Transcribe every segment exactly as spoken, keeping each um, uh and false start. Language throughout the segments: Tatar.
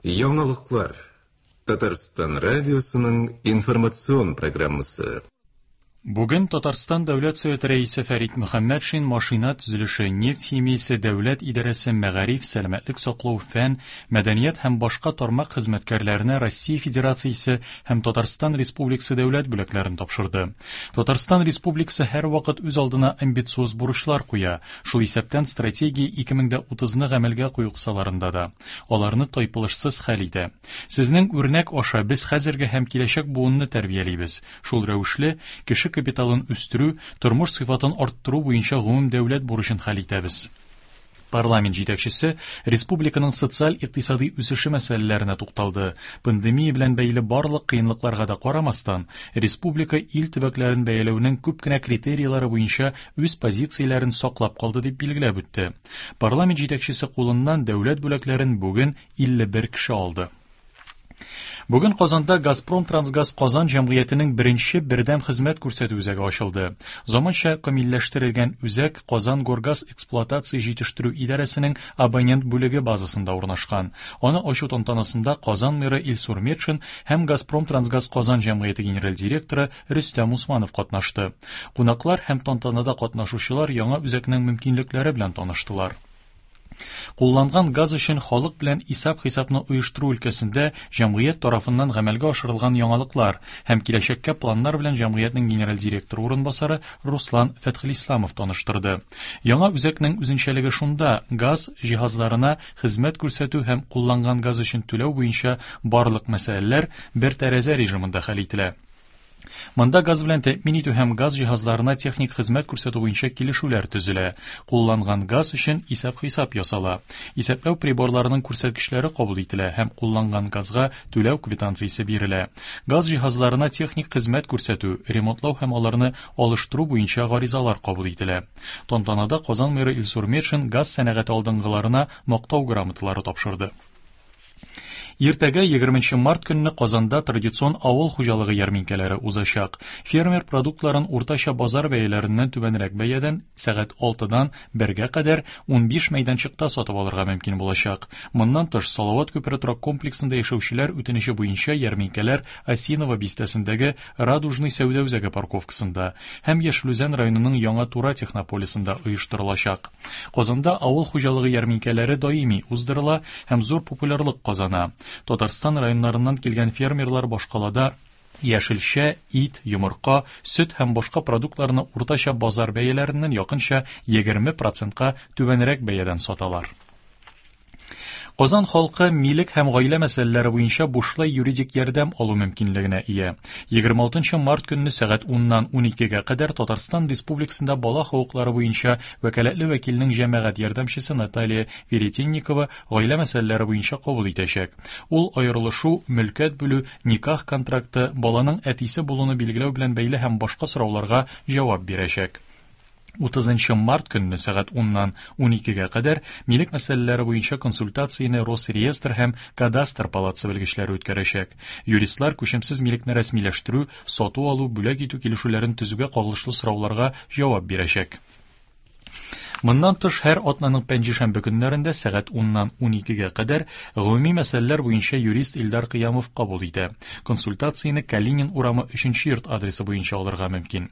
Яңалыклар. Татарстан радиосының информацион программасы. Бүген Татарстан Дәүләт Советы рәисе Фәрит Мөхәммәтшин машина төзелеше, нефть химиясе, дәүләт идарәсе, мәгариф, сәламәтлек саклау, фән, мәдәният һәм башка тармак хезмәткәрләренә Россия Федерациясе һәм Татарстан Республикасы дәүләт бүләкләрен тапшырды. Татарстан Республикасы һәрвакыт үз алдына амбициоз бурычлар куя, шул исәптән стратегия ике мең дә утызны гамәлгә кую кысаларында да. Аларны тайпылышсыз хәл итә. Сезнең үрнәк аша без хәзерге һәм киләчәк буынны тәрбиялибез. Шул рәвешле кеше капиталын үстерү, тормыш сыйфатын арттыру буенча гомум дәүләт бурычын хәл итәбез. Парламент җитәкчесе республиканың социаль-икътисади үсеше мәсьәләләренә тукталды. Пандемия белән бәйле барлык кыенлыкларга да карамастан, республика ил төбәкләрен бәяләүнең күп кенә критерийлары буенча үз позицияләрен саклап калды дип билгеләп үтте. Парламент җитәкчесе кулыннан дәүләт бүләкләрен бүген илле бер кеше алды. Бүген Казанда Газпром Трансгаз Казан җәмгыятенең беренче бердәм хезмәт күрсәтү үзәге ачылды. Заманча камилләштерелгән үзәк Казан Горгаз эксплуатация җитештерү идарәсенең абонент бүлеге базасында урнашкан. Аны ачу тантанасында Казан мэры Илсур Метшин һәм Газпром Трансгаз Казан җәмгыяте генераль директоры Рөстәм Усманов катнашты. Кунаклар һәм тантанада катнашучылар яңа үзәкнең мөмкинлекләре белән таныштылар. Кулланган газ өчен халык белән исәп-хисапны оештыру өлкәсендә җәмгыять тарафыннан гамәлгә ашырылган яңалыклар һәм киләчәккә планнар белән җәмгыятьнең генераль директоры урынбасары Руслан Фәтхелисламов таныштырды. Яңа үзәкнең үзенчәлеге шунда, газ җиһазларына хезмәт күрсәтү һәм кулланган газ өчен түләү буенча барлык мәсьәләләр бер тәрәзә режимында хәл ителә. Монда газ белән тәэмин итү һәм газ җиһазларына техник хезмәт күрсәтү буенча килешүләр төзелә. Кулланган газ өчен исәп-хисап ясала. Исәпләү приборларының күрсәткечләре кабул ителә һәм кулланган газга түләү квитанциясе бирелә. Газ җиһазларына техник хезмәт күрсәтү, ремонтлау һәм аларны алыштыру буенча гаризалар кабул ителә. Тантанада Казан мэры Илсур Метшин газ сәнәгате алдынгыларына мактау грамоталары тапшырды. Иртәгә егерменче март көнне Казанда традицион авыл хуҗалыгы ярминкәләре узачак. Фермер продуктларын уртача базар бәяләреннән түбәнрәк бәядән сәгать алтыдан бергә кадәр унбиш мәйданчыкта сатып алырга мөмкин булачак. Моннан тыш Салават күпере торак комплексында яшәүчеләр үтенече буенча ярминкәләр Осиново бистәсендәге Радужный сәүдә үзәге парковкасында һәм Яшел Үзән районының Яңа Тура технополисында оештырылачак. Казанда авыл хуҗалыгы ярминкәләре даими уздырыла һәм зур популярлык казана. Татарстан районнарыннан килгән фермерлар башкалада яшелчә, ит, йомырка, сөт һәм башка продуктларны уртача базар бәяләреннән якынча егерме процентка түбәнрәк бәядән саталар. Казан халкы милек һәм гаилә мәсьәләләре буенча бушлай юридик ярдәм алу мөмкинлегенә ия. Егерме алтынчы март көнне сәгать уннан уникегә кадәр Татарстан Республикасында бала хокуклары буенча вәкаләтле вәкилнең җәмәгать ярдәмчесе Наталья Веретенникова гаилә мәсьәләләре буенча кабул итәчәк. Ул аерылышу, мөлкәт бүлү, никах контракты, баланың әтисе булуны билгеләү белән бәйле һәм башка сорауларга җавап бирәчәк. Утызынчы март көнне сәгать уннан уникегә кадәр милек мәсьәләләре буенча консультацияне Росреестр һәм Кадастр палатасы белгечләре үткәрәчәк. Юристлар күчемсез милекне рәсмиләштерү, сату алу, бүләк итү килешүләрен төзүгә кагылышлы сорауларга җавап бирәчәк. Моннан тыш, һәр атнаның пәнҗешәмбе көннәрендә сәгать уннан уникегә кадәр гомуми мәсьәләләр буенча юрист Илдар Кыямов кабул итә. Консультацияне Калинин урамы өченче йорт адресы буенча алырга мөмкин.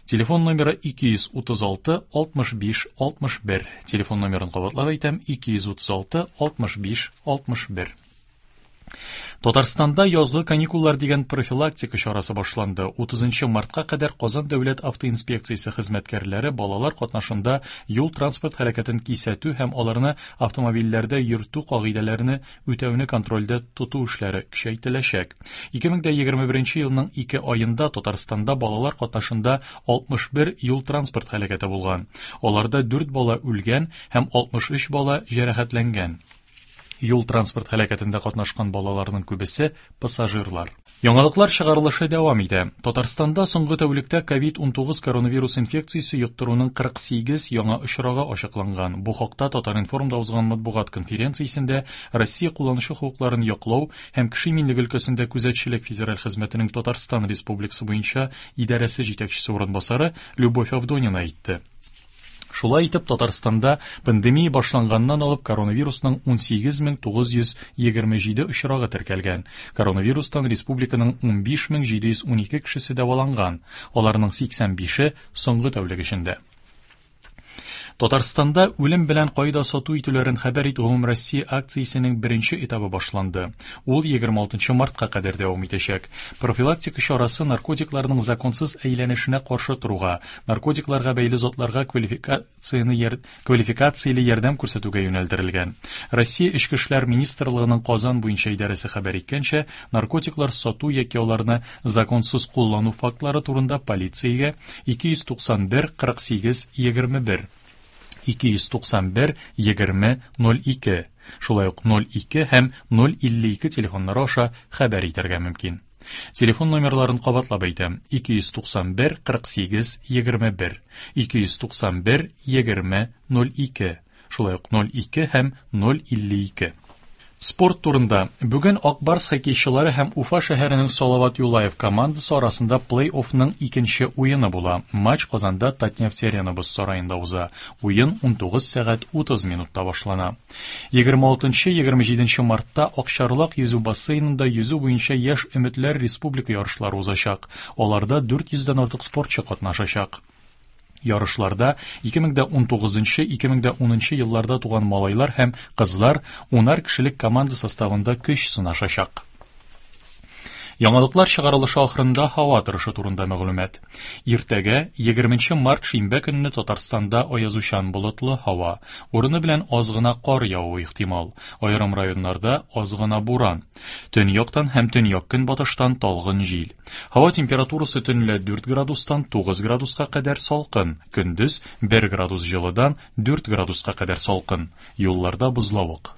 Телефон номеры ике йөз утыз алты алтмыш биш алтмыш бер. Телефон номерын кабатлап әйтәм, ике йөз утыз алты алтмыш биш алтмыш бер. Татарстанда язгы каникуллар дигән профилактика чарасы башланды. Утызынчы мартка кадәр Казан дәүләт автоинспекциясе хезмәткәрләре балалар катнашында юл транспорт хәрәкәтен кисәтү һәм аларны автомобильләрдә йөртү кагыйдәләрен үтәүне контрольдә тоту эшләре көчәйтеләчәк. Ике мең дә егерме беренче елның ике аенда Татарстанда балалар катнашында алтмыш бер юл транспорт һәлакәте булган. Аларда дүрт бала үлгән һәм алтмыш өч бала җәрәхәтләнгән. Юл транспорт һәлакәтендә катнашкан балаларның күбесе пассажирлар. Яңалыклар чыгарылышы дәвам итә. Татарстанда соңгы тәүлектә ковид унтугыз коронавирус инфекциясе йоктыруның кырык сигез яңа очрагы ачыкланган. Бу хакта Татар-информда узган матбугат конференциясендә Россия кулланучы хокукларын яклау һәм кеше иминлеге өлкәсендә күзәтчелек федераль хезмәтенең Татарстан Республикасы буенча идарәсе җитәкчесе урынбасары Любовь Авдонина әйтте. Шулай итеп, Татарстанда пандемия башланганнан алып коронавирусның унсигез мең тугыз йөз егерме җиде очрагы теркәлгән. Коронавирустан республиканың унбиш мең җиде йөз унике кешесе дәваланган. Аларның сиксән бише соңгы тәүлек эчендә. Татарстанда үлем белән кайда сату итүләрен хәбәр ит Гомумроссия акциясенең беренче этабы башланды. Ул егерме алтынчы мартка кадәр дәвам итәчәк. Профилактика чарасы наркотикларның законсыз әйләнешенә каршы торуга, наркотикларга бәйле затларга квалификацияне яр-, квалификацияле ярдәм күрсәтүгә юнәлдерелгән. Россия Эчке эшләр министрлыгының Казан буенча идарәсе хәбәр иткәнчә, наркотиклар сату яки аларны законсыз куллану фактлары турында полициягә ике йөз туксан бер кырык сигез егерме бер, ике йөз туксан бер егерме ноль ике, шулай ук ноль ике һәм ноль илле ике телефоннары аша хәбәр итәргә мөмкин. Телефон номерларын кабатлап әйтәм: ике йөз туксан бер кырык сигез егерме бер, ике йөз туксан бер егерме ноль ике, шулай ук ноль ике һәм ноль илле ике. Спорт турында. Бүген Ак Барс хоккейчылары һәм Уфа шәһәренең Салават Юлаев командасы арасында плей-оффның икенче уены була. Матч Казанда Татнефть Арена боз сараенда уза. Уен унтугыз сәгать утыз минутта башлана. Егерме алтынчы, егерме җиденче мартта Акчарлак йөзү бассейнында йөзү буенча яшь өметләр республика ярышлары узачак. Аларда дүрт йөздән артык спортчы катнашачак. Ярышларда ике мең дә унтугызынчы, ике мең дә унынчы елларда туган малайлар һәм кызлар унар кешелек команда составында көч сынашачак. Яңалыклар чыгарылышы ахырында һава торышы турында мәгълүмат. Иртәгә, егерменче март шимбә көнне Татарстанда аязучан болытлы һава. Урыны белән аз гына кар явуы ихтимал. Аерым районнарда аз гына буран. Төньяктан һәм төньяк-көнбатыштан талгын җил. Һава температурасы төнлә дүрт градустан тугыз градуска кадәр салкын, көндез бер градус җылыдан дүрт градуска кадәр салкын. Юлларда бозлавык.